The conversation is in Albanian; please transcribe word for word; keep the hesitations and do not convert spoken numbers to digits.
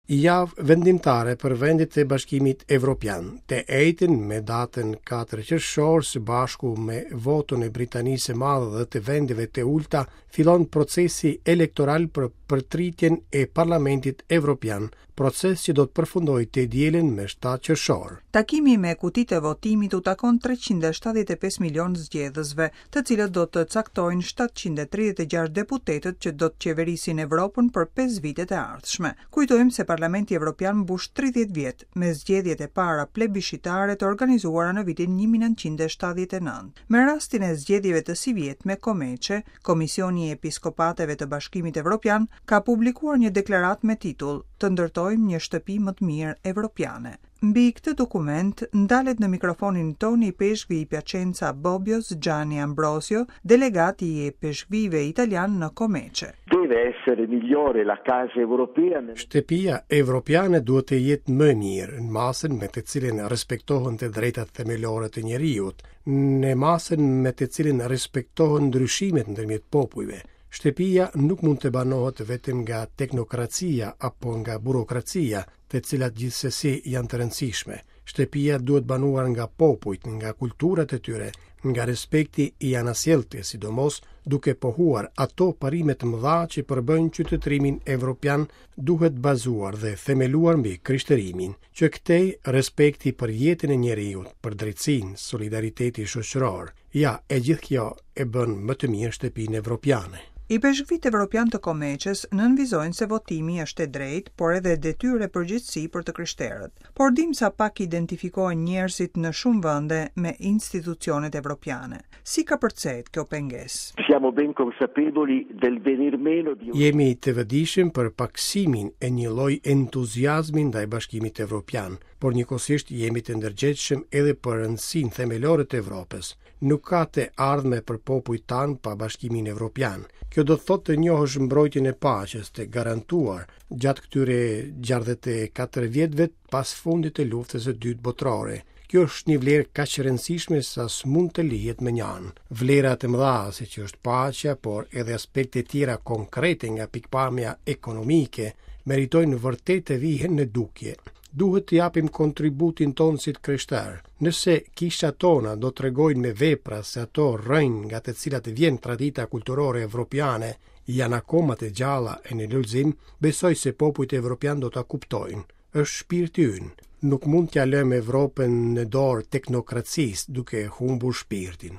Javë vendimtare për vendet e Bashkimit Evropian. Të enjten me datën katër qershor, së bashku me votën e Britanisë së Madhe dhe të vendeve të ulta, fillon procesi elektoral për përtritjen e Parlamentit Evropian, proces që do të përfundojë të dielën me shtatë qershor. Takimi me kutitë e votimit u takon treqind e shtatëdhjetë e pesë milion zgjedhësve, të cilët do të caktojnë shtatëqind e tridhjetë e gjashtë deputetët që do të qeverisin Evropën për pesë vitet e ardhshme. Kujtojmë se Parlamenti Evropian mbush tridhjetë vjet me zgjedhjet e para plebiscitare të organizuara në vitin një mijë e nëntëqind e shtatëdhjetë e nëntë. Me rastin e zgjedhjeve të sivjetme, Komeçe, Komisioni i Episkopateve të Bashkimit Evropian, ka publikuar një deklaratë me titull Të ndërtojmë një shtëpi më të mirë evropiane. Mbi këtë dokument ndalet në mikrofonin tonë i peshkvi i Piacenza Bobbios Gianni Ambrosio, delegat i peshkvive italian në Komeçe. Deve essere migliore la casa europea. Shtëpia evropiane duhet të jetë më mirë në masën me të cilën respektohen të drejtat themelore të njeriut, në masën me të cilën respektohen ndryshimet ndërmjet popujve. Shtëpia nuk mund të banohet vetëm nga teknokracia apo nga burokracia, të cilat gjithsesi janë të rëndësishme. Shtëpia duhet banuar nga popujt, nga kulturat e tyre, nga respekti i anasjelltë, sidomos duke pohuar ato parime të mëdha që përbëjnë qytetërimin evropian, duhet bazuar dhe themeluar mbi krishterimin, që këtej respekti për jetën e njeriut, për drejtësinë, solidariteti shoqëror. Ja, e gjithë kjo e bën më të mirë shtëpinë evropiane. I peshkvit evropian të Komeçes nënvizojnë se votimi është e drejtë, por edhe detyrë e përgjegjësi për të krishterët. Por dim sa pak identifikohen njerëzit në shumë vende me institucionet evropiane. Si ka përcet kjo pengesë? Siamo ben consapevoli del venir meno di un Jemi të vetëdijshëm për paksimin e një lloj entuziazmi ndaj Bashkimit Evropian, por njëkohësisht jemi të ndërgjegjshëm edhe për rëndësinë themelore të Evropës. Nuk ka të ardhme për popujt tanë pa Bashkimin Evropian. Kjo do të thotë të njohësh mbrojtjen e paqes të garantuar gjatë këtyre gjashtëdhjetë e katër vjetëve pas fundit të luftës së dytë botërore. Kjo është një vlerë kaq e rëndësishme sa s'mund të lihet më njanë. Vlera të mëdha siç është paqja, por edhe aspekte tjera konkrete nga pikpamja ekonomike, meritojnë vërtet të vihen në dukje. Duhet të japim kontributin tonë si të krishterë. Nëse kishat tona do tregojnë me vepra se ato rrënjë nga të cilat vjen tradita kulturore evropiane janë akoma të gjalla e në lulëzim, besoj se popujt evropian do ta kuptojnë. Është shpirti ynë. Nuk mund t'ja lëmë Evropën në dorë teknokracisë duke humbur shpirtin.